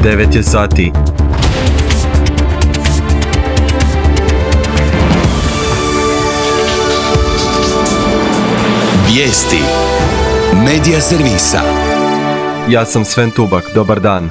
9 je sati. Vijesti Medija servisa. Ja sam Sven Tubak, dobar dan.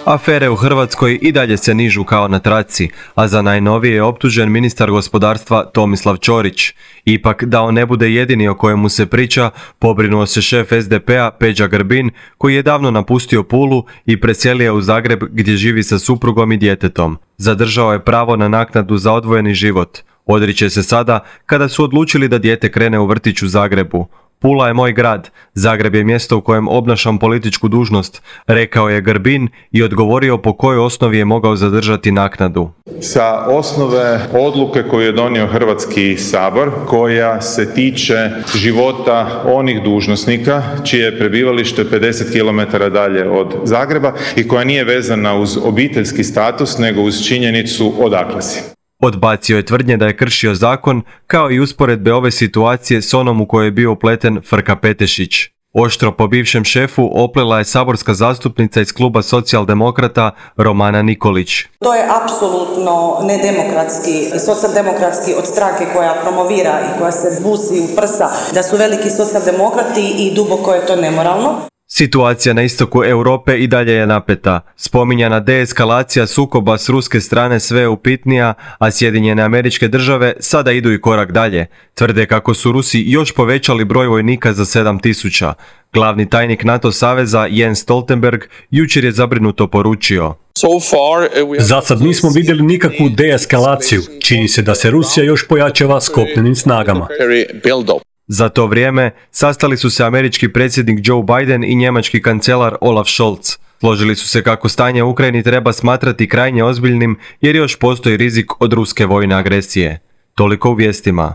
Afere u Hrvatskoj i dalje se nižu kao na traci, a za najnovije je optužen ministar gospodarstva Tomislav Ćorić. Ipak, da on ne bude jedini o kojemu se priča, pobrinuo se šef SDP-a Peđa Grbin, koji je davno napustio Pulu i preselio u Zagreb gdje živi sa suprugom i djetetom. Zadržao je pravo na naknadu za odvojeni život. Odriče se sada kada su odlučili da dijete krene u vrtić u Zagrebu. Pula je moj grad, Zagreb je mjesto u kojem obnašam političku dužnost, rekao je Grbin i odgovorio po kojoj osnovi je mogao zadržati naknadu. Sa osnove odluke koju je donio Hrvatski sabor, koja se tiče života onih dužnosnika čije je prebivalište 50 km dalje od Zagreba i koja nije vezana uz obiteljski status nego uz činjenicu odakle si. Odbacio je tvrdnje da je kršio zakon, kao i usporedbe ove situacije s onom u kojoj je bio upleten Frka Petešić. Oštro po bivšem šefu oplela je saborska zastupnica iz kluba Socijaldemokrata Romana Nikolić. To je apsolutno nedemokratski, socijaldemokratski od stranke koja promovira i koja se busi u prsa da su veliki socijaldemokrati i duboko je to nemoralno. Situacija na istoku Europe i dalje je napeta. Spominjana deeskalacija sukoba s ruske strane sve je upitnija, a Sjedinjene Američke Države sada idu i korak dalje. Tvrde kako su Rusi još povećali broj vojnika za 7.000. Glavni tajnik NATO saveza Jens Stoltenberg jučer je zabrinuto poručio: Za sad nismo vidjeli nikakvu deeskalaciju. Čini se da se Rusija još pojačava s kopnenim snagama. Za to vrijeme sastali su se američki predsjednik Joe Biden i njemački kancelar Olaf Scholz. Složili su se kako stanje u Ukrajini treba smatrati krajnje ozbiljnim jer još postoji rizik od ruske vojne agresije. Toliko u vijestima.